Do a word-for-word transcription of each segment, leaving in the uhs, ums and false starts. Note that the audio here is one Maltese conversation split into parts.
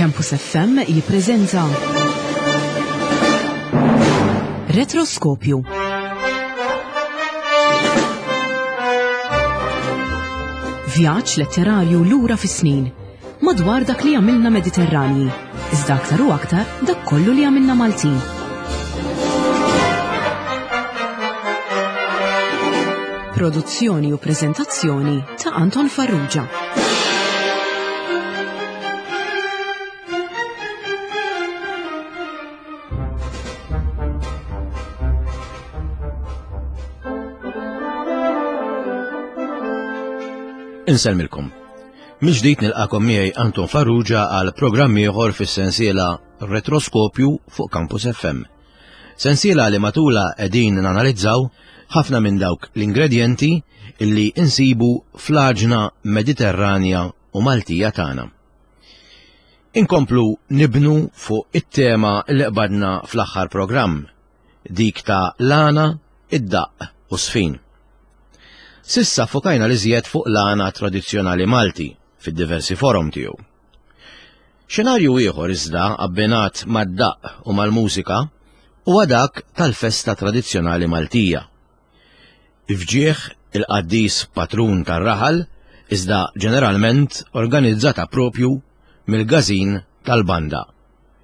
Campus F M jippreżenta Retroskopju. Vjaġġ letterarju lura fis-snin madwar dak li għamilna Mediterranji, iżda aktar u aktar dak kollu li għamilna Maltin. Produzzjoni u preżentazzjoni ta' Anton Farrugia. Insellmilkom. Mill-ġdid nilqakom miegħi Anton Farrugia għal programm ieħor fis-sensiela Retroskopju fuq Campus F M. Sensiela li matula qegħdin nanalizzaw ħafna minn dawk l-ingredjenti illi insibu fl-għaġna Mediterranja u Maltija tagħna. Inkomplu nibnu fuq it-tema li qbadna fl-aħħar programm, dik ta' l-għana, id-daqq u żfin. S'issa fokajna l-iżjed fuq l-għana tradizzjonali Malti fid-diversi forom tiegħu. Xenarju ieħor iżda abbinat mad-daqq u mal-mużika huwa dak tal-festa tradizzjonali Maltija. F'ġieħ il-qaddis patrun tar-raħal, iżda ġeneralment organizzata propju mill-każin tal-banda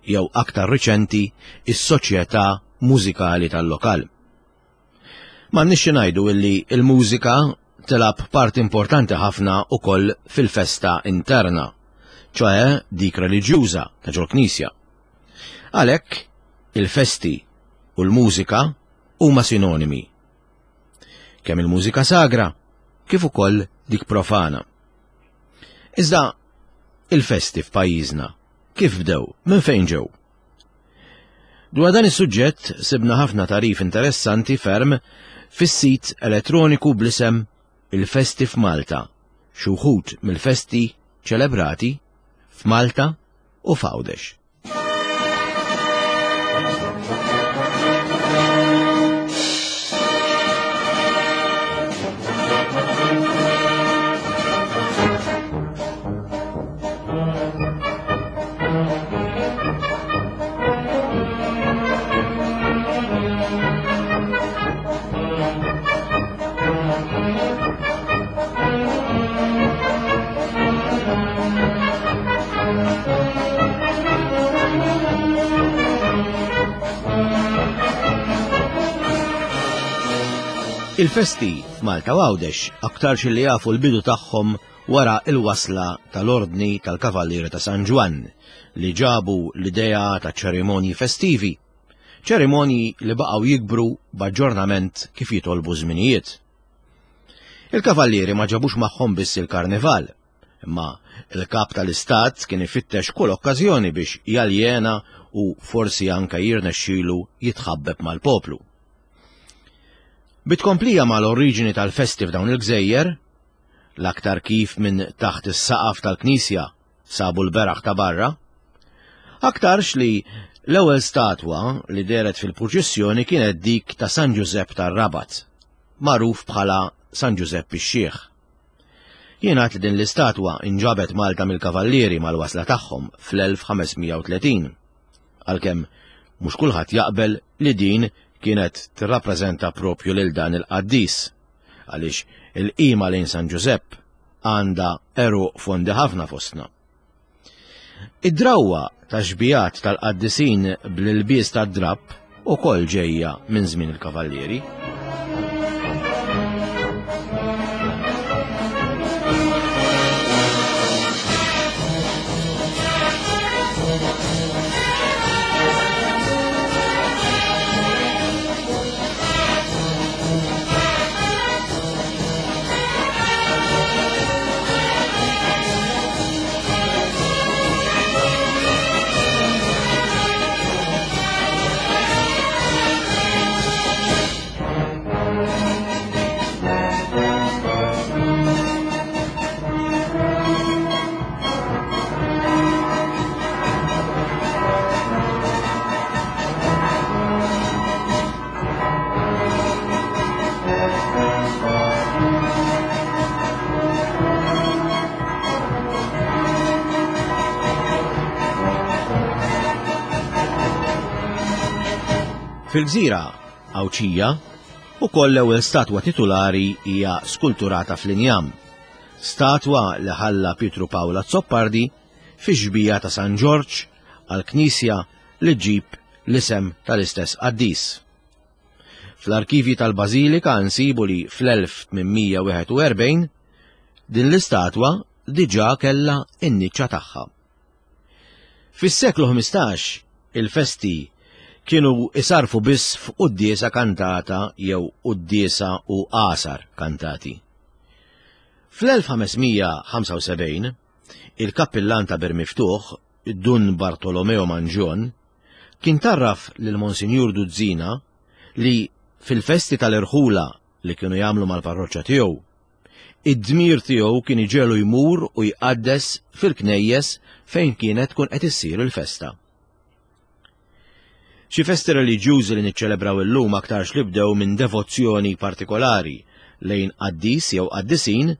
jew, aktar riċenti, is-soċjetà mużikali tal-lokal. M'għandniex ngħidu illi il-mużika tilgħab part importanti ħafna ukoll fil-festa interna, ċoè dik reliġjuża ta' ġol-knisja. Għalhekk il-festi u l-mużika huma sinonimi. Kemm il-mużika sagra, kif ukoll dik profana. Iżda il-festi f'pajjiżna kif bdew, minn fejn ġew? Dwar dan is-suġġett sibna ħafna tagħrif interessanti ferm fis-sit elettroniku bl-isem Il-Festi f'Malta, xi wħud mill-festi ċelebrati f'Malta u f'Għawdex. Il-festi f'Malta u Għawdex aktarx li jafu l-bidu tagħhom wara il-wasla tal-Ordni tal-Kavallieri ta' San Ġwann, li ġabu l-idea ta' ċerimonji festivi, ċerimonji li baqgħu jikbru b'aġġornament kif jitolbu żminijiet. Il-kavallieri ma ġabux magħhom biss il-karnival, imma il-kap tal-istat kien ifittex kull okkażjoni biex jaljena u forsi anka jirnexxilu jitħabbeb mal-poplu. Bi tkomplija mal-oriġini tal-festi f'dawn il-gżejjer, l-aktar kif minn taħt is-saqaf tal-knisja sabu l-beraħ ta' barra, aktarx li l-ewwel statwa li dehret fil-purċissjoni kienet dik ta' San Ġużepp tar-Rabat, magħruf bħala San Ġużepp ix-Xiħ. Jingħad li din l-istatwa inġabet Malta mill-kavallieri mal-wasla tagħhom fl-elf ħames mija u tletin. Għalkemm mhux kulħadd jaqbel li din kienet tirrappreżenta propju lil dan il-qaddis, għaliex il-qima lejn San Ġużepp għandha għeruq fondi ħafna fostna. Id-drawwa ta' xbijat tal-qaddisin bl-ilbies tad-drapp ukoll ġejja minn żmien il-kavallieri. Fil-gżira Għawdxija ukoll l-ewwel statwa titulari hija skulturata fl-injam, statwa li ħalla Pietru Pawl Azzopardi fi xbieha ta' San Ġorġ għall-knisja li ġġib l-isem tal-istess qaddis. Fl-arkivji tal-Bażilika nsibu li fl-elf tmien mija wieħed u erbgħin din l-istatwa diġà kellha in-niċċa tagħha. Fis-seklu ħmistax il-festi kienu isarfu biss f'quddiesa kantata jew quddiesa u għasar kantati. Fl-elf ħames mija ħamsa u sebgħin il-kappillan ta' Bir Miftuħ, Dun Bartolomeo Mangion, kien tarraf lil Monsinjur Duzzina li fil-festi tal-irħula li kienu jagħmlu mal-parroċċa tiegħu, id-dmir tiegħu kien iġegħlu jmur u jqaddes fil-knejjes fejn kienet tkun qed issir il-festa. Xi festi reliġjużi li niċċelebraw illum aktarx li bdew minn devozzjoni partikolari lejn qaddis jew qaddisin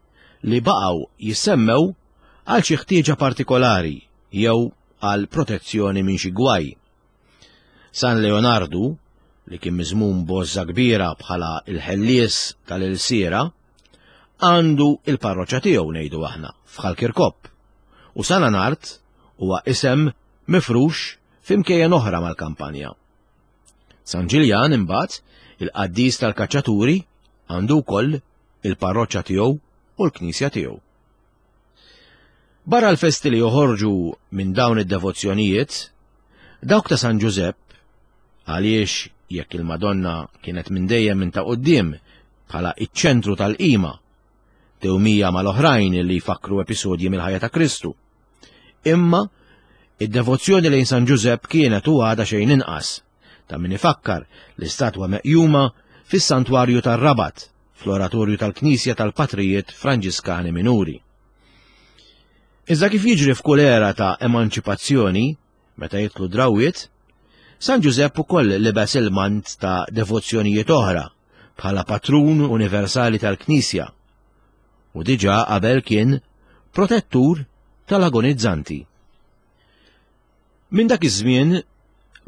li baqgħu jissemmew għal xi ħtieġa partikolari jew għal protezzjoni minn xi gwaj. San Leonardu, li kien miżmum b'għożża kbira bħala il-ħellies tal-ilsiera, għandu il-parroċċa tiegħu, ngħidu aħna, f'Ħal Kirkop. U San Anart huwa isem mifrux f'imkejjen oħra mal-kampanja. San Ġiljan imbagħad, il-qaddis tal-kaċċaturi, għandu wkoll il-parroċċa tiegħu u l-knisja tiegħu. Barra l-festi li joħorġu minn dawn id-devozzjonijiet, dawk ta' San Ġużepp, għaliex jekk il-Madonna kienet minn dejjem minn ta' quddiem bħala iċ-ċentru tal-qima, tewmija mal-oħrajn li jfakru episodji mill-ħajja ta' Kristu. Imma id-devozzjoni lejn San Ġużepp kienet u għadha xejn inqas, ta' min ifakkar l-istatwa meqjuma fis-santwarju tar-Rabat, fl-oratorju tal-Knisja tal-Patrijiet Franġiskani Minuri. Iżda kif jiġri f'kull era ta' emanċipazzjoni, meta jidħlu drawwiet, San Ġużepp ukoll libes il-mant ta' devozzjonijiet oħra bħala patrun universali tal-Knisja u diġà qabel kien protettur tal-agonizzanti. Minn dak iż-żmien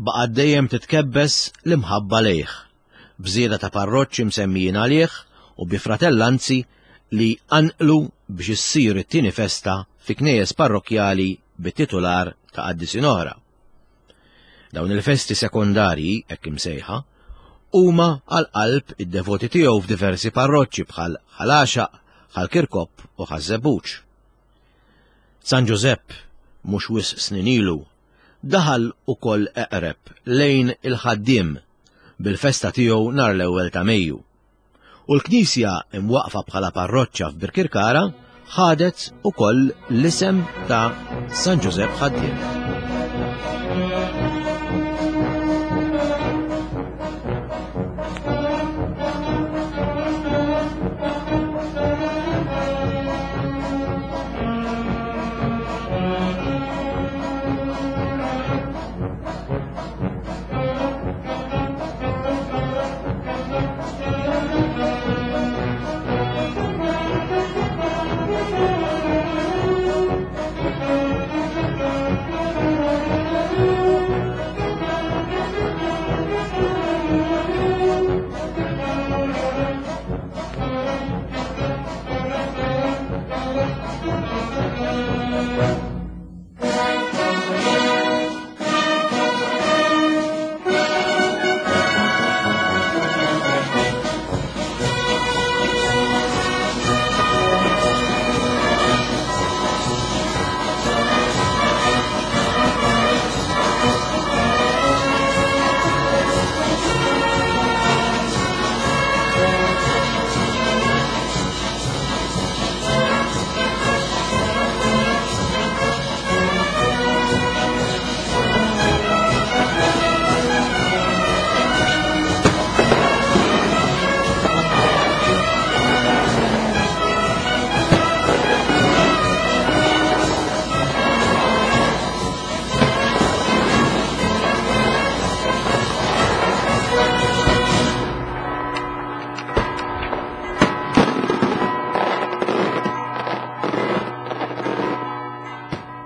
baqgħet dejjem titkebbes l-imħabba lejh, b'żieda ta' parroċċi msemmijin għalih u bi fratellanzi li anqlu biex issir it-tieni festa fi knejjes parrokkjali bit-titular ta' qaddisin oħra. Dawn il-festi sekondarji, hekk imsejħa, huma għal qalb id-devoti tiegħu f'diversi parroċċi bħal Ħal Għaxaq, Ħal Kirkop u Ħaż-Żebbuġ. San Ġużepp mhux wisq snin ilu daħal ukoll eqreb lejn il-ħaddiem bil-festa tiegħu nhar l-ewwel ta' Mejju. U l-knisja imwaqfa bħala parroċċa f'Birkirkara ħadet ukoll l-isem ta' San Ġużepp Ħaddiem.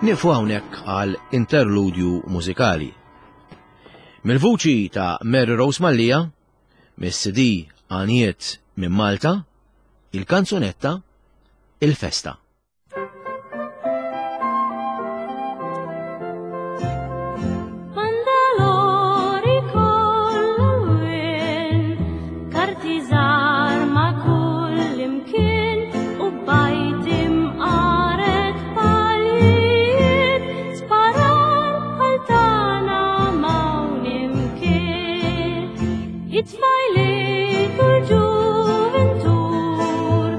Nieqfu hawnhekk għal interludju mużikali. Mill-vuċi ta' Mary Rose Mallia, mis-C D Għaniet minn Malta, il-kanzunetta Il-Festa. Bandalori kollha karti żgħar ma' kull imkien u bajt imqaret palijiet sparar bħal tagħna m'hawn imkien. It-tfajliet u l-ġuventur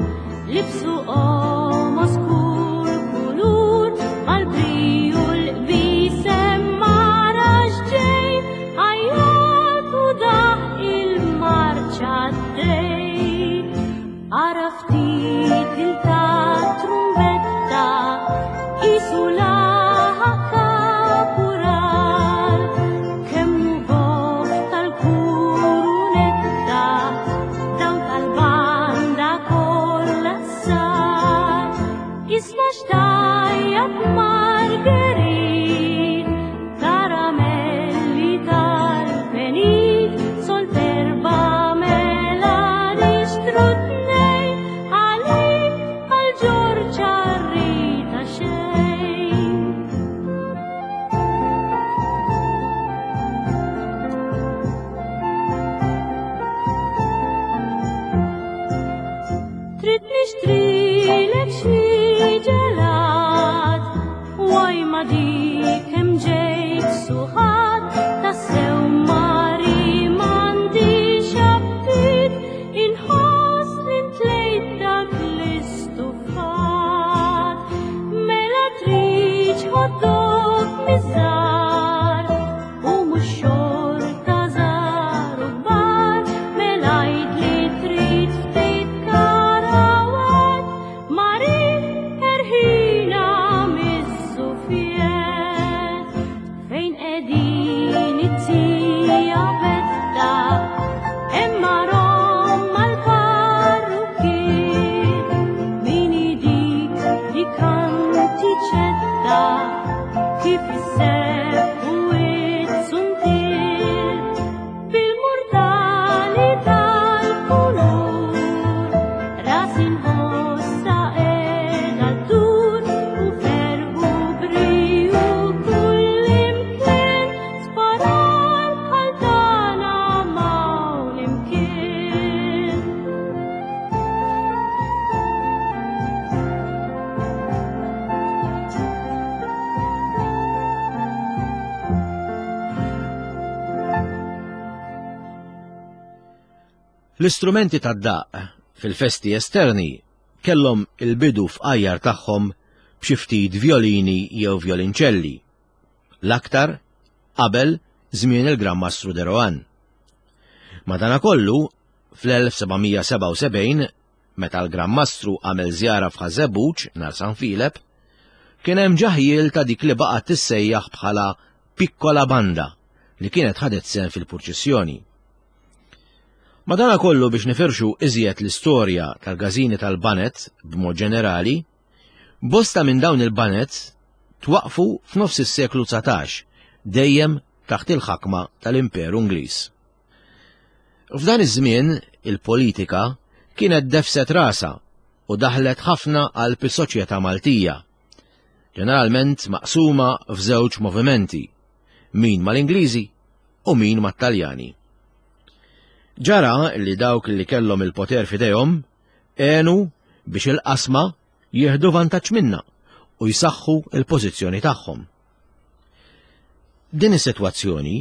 libsu qomos kull kulur mal-briju l-qbisem mara x'ġej għajjat u daħ il-marċa d-dej. Ara ftit il-ta' trumbetta qisu laħaq kapural kemm hu goff tal-kurunetta dawn tal-banda kollha sar. Isma' xtajjat Marguerite, karamelli tal-penit, sol terba mela nixtru tnejn, għalik għal Ġorġ Arrita xejn. Trid nixtrilek xi ġelat, waj ma dik hemm ġejt suħat, tassew mari m'għandix aptit, inħoss li ntlejt dak l-istufat. Mela tridx hot dog miż-żgħar, u mhux xorta żgħar u kbar, mela għid li trid ftit karawat, mari erħina miż-żuffiet. Fejn qegħdin it-tija betta, hemm rom mal-parrukkier, min dik li kantiċetta, kif issebħu it-suntier, bil-murtali tal-kulur, ras inħossa qiegħda ddur, u ferħu briju kull imkien, sparar bħal tagħna m'hawn imkien. L-istrumenti tad-daqq fil-festi esterni kellhom il-bidu f'qajjar tagħhom b'xi ftit violini jew violinċelli, l-aktar qabel żmien il-Gran Mastru de Rohan. Madanakollu, fl-elf seba' mija sebgħa u sebgħin, meta l-Gran Mastru għamel żjara f'Ħaż-Żebbuġ nhar San Filep, kien hemm ġaħjil ta' dik li baqgħet tissejjaħ bħala Piccola Banda li kienet ħadet sehem fil-purċissjoni. Madanakollu biex nifirxu iżjed l-istorja tal-gażini tal-banet b'mod ġenerali, bosta minn dawn il-banet twaqfu f'nofs is-seklu dsatax, dejjem taħt il-ħakma tal-Imperu Ingliż. F'dan iż-żmien il-politika kienet defset rasa u daħlet ħafna qalb is-soċjetà Maltija, ġeneralment maqsuma f'żewġ movimenti, min mal-Ingliżi u min mat-Taljani. Ġara li dawk li kellhom il-poter f'idejhom għenu biex il-qasma jieħdu vantaġġ minnha u jsaħħu il-pożizzjoni tagħhom. Din is-sitwazzjoni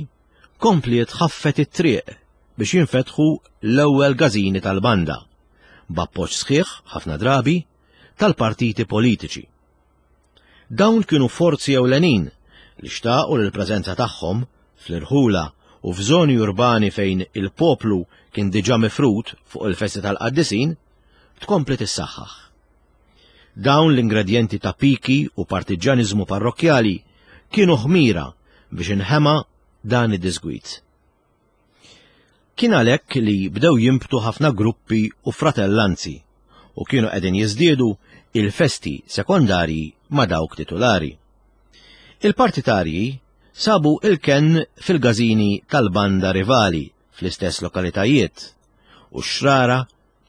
kompliet ħaffet it-triq biex jinfetħu l-ewwel gażini tal-banda, b'appoġġ sħiħ ħafna drabi tal-partiti politiċi. Dawn kienu forzi ewlenin li xtaqu l-preżenza tagħhom fl-irħula u f'żoni urbani fejn il-poplu kien diġà mifrud fuq il-festi tal-qaddisin tkompli tissaħħaħ. Dawn l-ingredjenti ta' piki u partiġġaniżmu parrokkjali kienu ħmira biex inħema dan id-disgwit. Kien għalhekk li bdew jinbtu ħafna gruppi u fratellanzi u kienu qegħdin jiżdiedu il-festi sekondarji ma' dawk titulari. Il-partitarji sabu il-kenn fil-gażini tal-banda rivali fl-istess lokalitajiet u x-xrara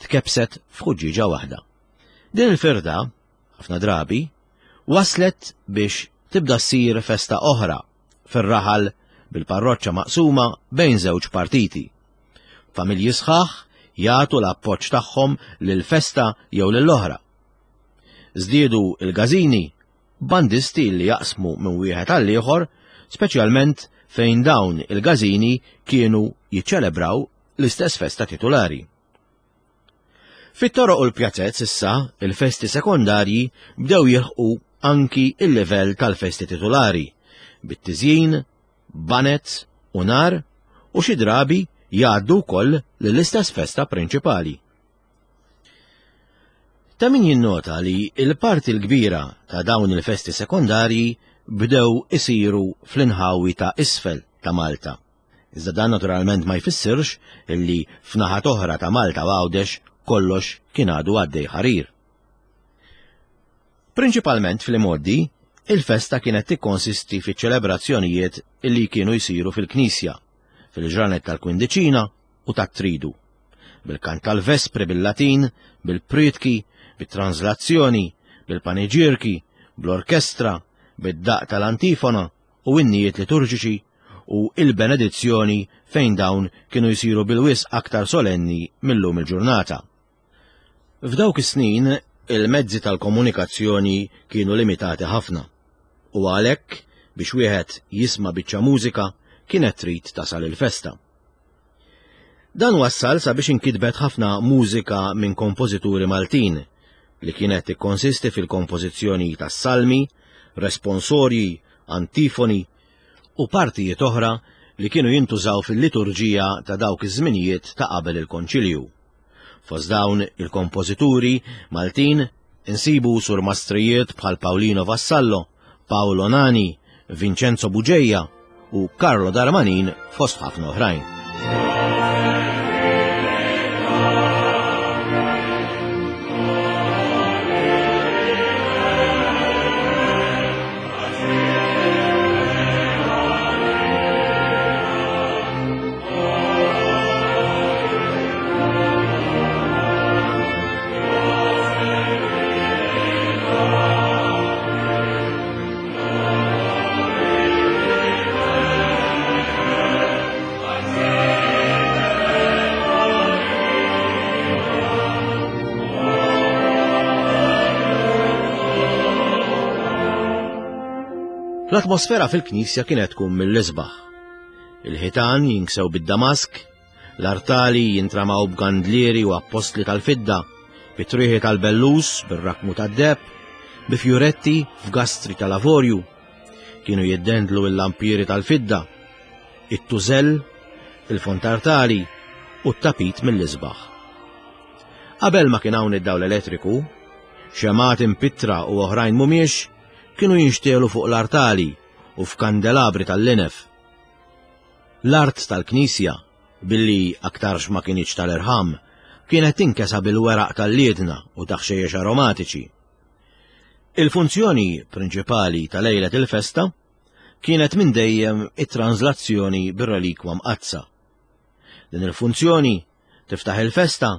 tkebset f'ħuġġieġa waħda. Din il-firda, ħafna drabi, waslet biex tibda ssir festa oħra fir-raħal bil-parroċċa maqsuma bejn żewġ partiti. Familji sħaħ jagħtu l-appoġġ tagħhom lil-festa jew lill-oħra. Żdiedu il-gażini bandisti li jaqsmu minn wieħed għal ieħor, speċjalment fejn dawn il-gażini kienu jiċċelebraw l-istess festa titulari. Fit-toroq u l-pjazzett issa il-festi sekondarji bdew jilħqu anki il-livell tal-festi titulari, bit-tiżjin, banez u nar u xi drabi jgħaddu wkoll lill-istess festa prinċipali. Ta' min jinnota li l-parti l-kbira ta' dawn il-festi sekondarji bdew isiru fl-inħawi ta' isfel ta' Malta. Iżda dan naturalment ma jfissirx illi f'naħat oħra ta' Malta u Għawdex kollox kien għadu għaddej ħarir. Prinċipalment fl-imgħoddi, il-festa kienet tikkonsisti fi ċelebrazzjonijiet illi kienu jsiru fil-knisja, fil-ġranet tal-kwindiċina u tat-tridu, bil-kant tal-vespri bil-Latin, bil-prietki, bit-translazzjoni, bil-paniġierki, bl-orkestra, bid-daq tal-antifona u innijiet liturġiċi u il-benedizzjoni fejn dawn kienu jsiru bil-wisq aktar solenni mill-lum il-ġurnata. F'dawk is-snin, il-mezzi tal-komunikazzjoni kienu limitati ħafna u għalhekk biex wieħed jisma' biċċa mużika kienet trid tasal il-festa. Dan wassal sabiex inkitbet ħafna mużika minn kompożituri Maltin li kienet tikkonsisti fil-kompożizzjoni tas-salmi, responsorji, antifoni u partijiet oħra li kienu jintużaw fil-liturġija ta' dawk iż-żminijiet ta' qabel il-Konċilju. Fost dawn il-kompożituri Maltin insibu surmastrijiet bħal Paolino Vassallo, Paolo Nani, Vincenzo Bugeja u Carlo Darmanin fost ħafna oħrajn. L-atmosfera fil-knisja kienet tkun mill-isbaħ. Il-ħitan jinksew bid-damask, l-artali jintramaw b'gandlieri u appostli tal-fidda, bit-trieħi tal-bellus, bir-rakmu tad-deheb, bi fjuretti f'gastri tal-avorju. Kienu jiddendlu l-lampieri tal-fidda, it-tużell, il-fontartali u t-tapit mill-isbaħ. Qabel ma kien hawn id-dawl elettriku, xemat impittra u oħrajn mhumiex kienu jinxtielu fuq l-artali u f'kandelabri tal-linef. L-art tal-knisja, billi aktarx ma kienx tal-irħam, kienet tinkesa bil-weraq tal-liedna u taħxejjex aromatiċi. Il-funzjoni prinċipali ta' lejlet il-festa kienet minn dejjem it-translazzjoni bir-relikwa mqaddsa. Din il-funzjoni tiftaħ il-festa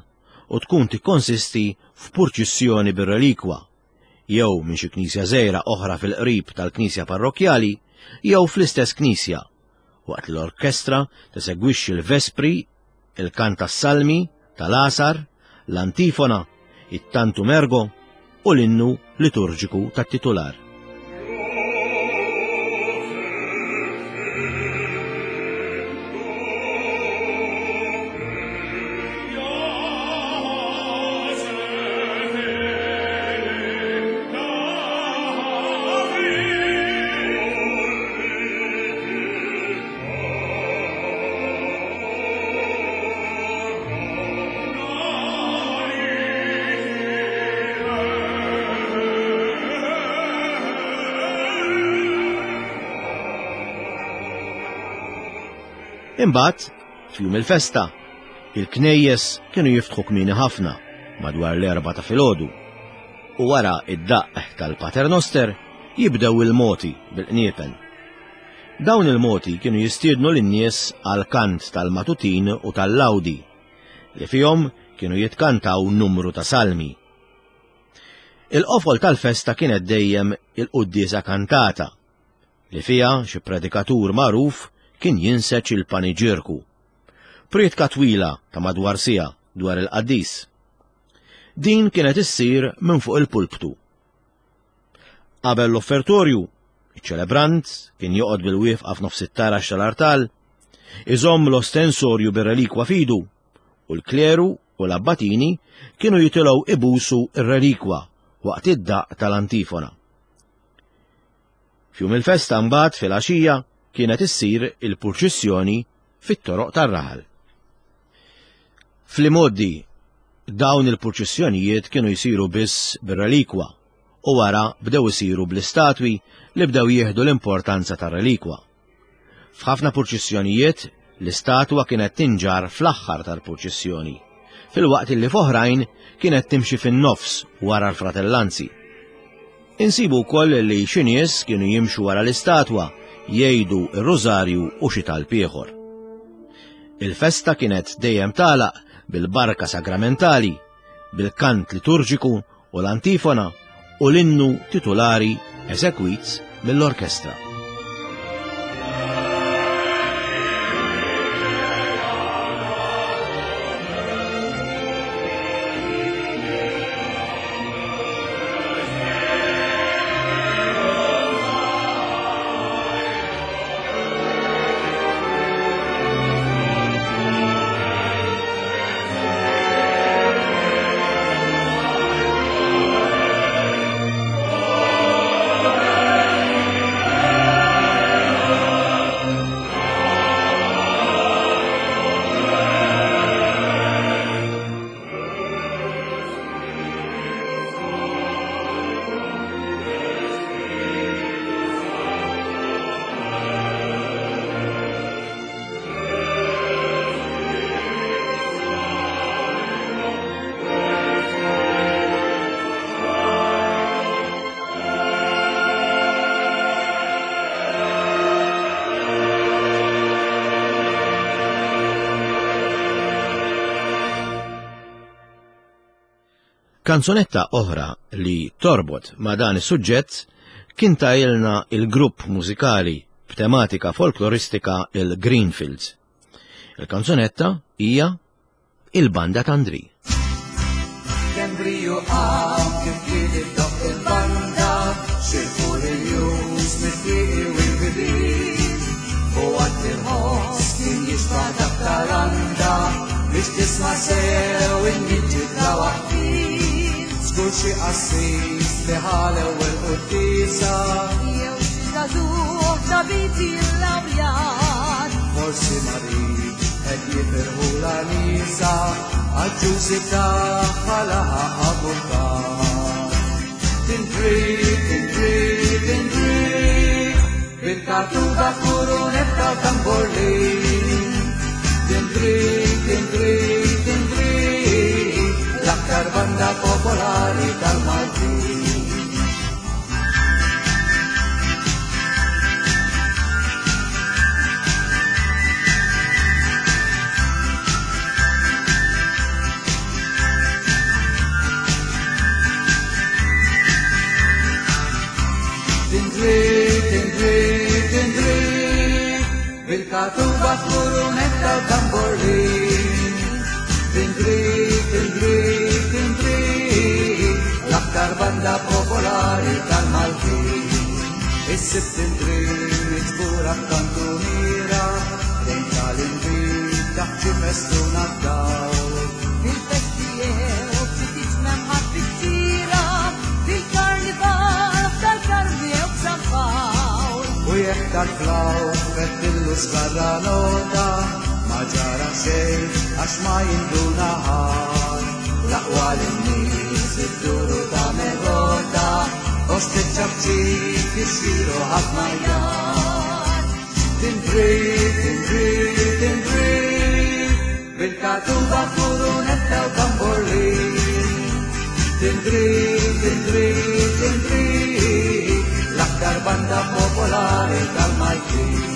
u tkun tikkonsisti f'purċissjoni bir-relikwa, jew minn xi knisja żgħira oħra fil-qrib tal-knisja parrokkjali, jew fl-istess knisja, waqt l-orkestra tesegwixxi l-vespri, il-kant tas-salmi, tal-għasar, l-antifona, it-tantum ergo u l-innu liturġiku tat-titular. Imbagħad, f'jum il-festa, il-knejjes kienu jiftħu kmieni ħafna madwar l-erba' ta' filgħodu u wara id-daqq tal-Paternoster jibdew il-moti bil-qniepen. Dawn il-moti kienu jistiednu lin-nies għal kant tal-matutin u tal-lawdi, li fihom kienu jitkantaw numru ta' salmi. Il-qofol tal-festa kienet dejjem il-quddiesa kantata, li fiha xi predikatur magħruf kien jinseġ il-paniġirku. Prietka twila ta' madwar siegħa dwar il-qaddis. Din kienet issir minn fuq il-pulptu. Qabel l-offertorju, iċ-ċelebrant kien joqgħod bil-wieqfa f'nofs it-tarax tal-artal, iżomm l-ostensorju bir-relikwa fidu, u l-kleru u l-abbatini kienu jitilgħu ibusu r-relikwa waqt id-daqq tal-antifona. F'jum il-festa mbagħad fil-għaxija kienet issir il-purċissjoni fit-toroq tar-raħal. Fl-imgħoddi dawn il-purċissjonijiet kienu jsiru biss bir-relikwa u wara bdew isiru bl-istatwi li bdew jieħdu l-importanza tar-relikwa. F'ħafna purċissjonijiet l-istatwa kienet tinġar fl-aħħar tal-purċissjoni, filwaqt li f'oħrajn kienet timxi fin-nofs wara l-fratellanzi. Insibu wkoll li xi nies kienu jimxu wara l-istatwa jgħidu r-rużarju u xi talb ieħor. Il-festa kienet dejjem tagħlaq bil-barka sagramentali, bil-kant liturġiku u l-antifona u l-innu titulari eżekwit mill-orkestra. Kanzunetta oħra li torbot ma' dan is-suġġett kien tajilna il-grupp mużikali b'tematika folkloristika il-Greenfields. Il-kanzunetta hija Il-Banda t'Andri. Kembriju għam kif kien iddoqq il-banda, xirfu l-jus mit-tieqi u l-bibien. U għad il-ħoss kien jixba' dak tal-anda biex tisma' sew in-niġġi ta' waħdin. Żgur xi qassis li ħa l-ewwel quddiesa, jew xi żagħżugħ tabib illawrjat. Forsi marid qed jifirħu l-għanisa għall-ġużi tagħha laħaq avukat. Tindri, tindri, tindri, bil-katuba f'kurunetta u tamborlin. Tindri, tindri, tindri, l-aktar banda popolari tal-Maltin. Tindri, tindri, tindri, bil-katuba f'kurunetta u tamborlin. Tindri, tindri, tindri, l-aktar banda popolari tal-Maltin. Is-sibt tindri miġbura f'kantuniera, lejn tal-inbid taħt xi festuna d-dawl. Fil-festi jew ftit memħat fit-tira, fil-karnival tal-Karmi jew f'San Pawl. U jekk tal-flawt fettillu sbarra nota, ma ġara xejn għax ma jinduna ħadd. L-aqwa lin-nies idduru ta' megota, post iċ-ċapċip ixxiru ħadd ma jgħad. Tindri, tindri, tindri, bil-katuba f'kurunetta u tamborlin. Tindri, tindri, tindri, l-aktar banda popolari tal-Maltin.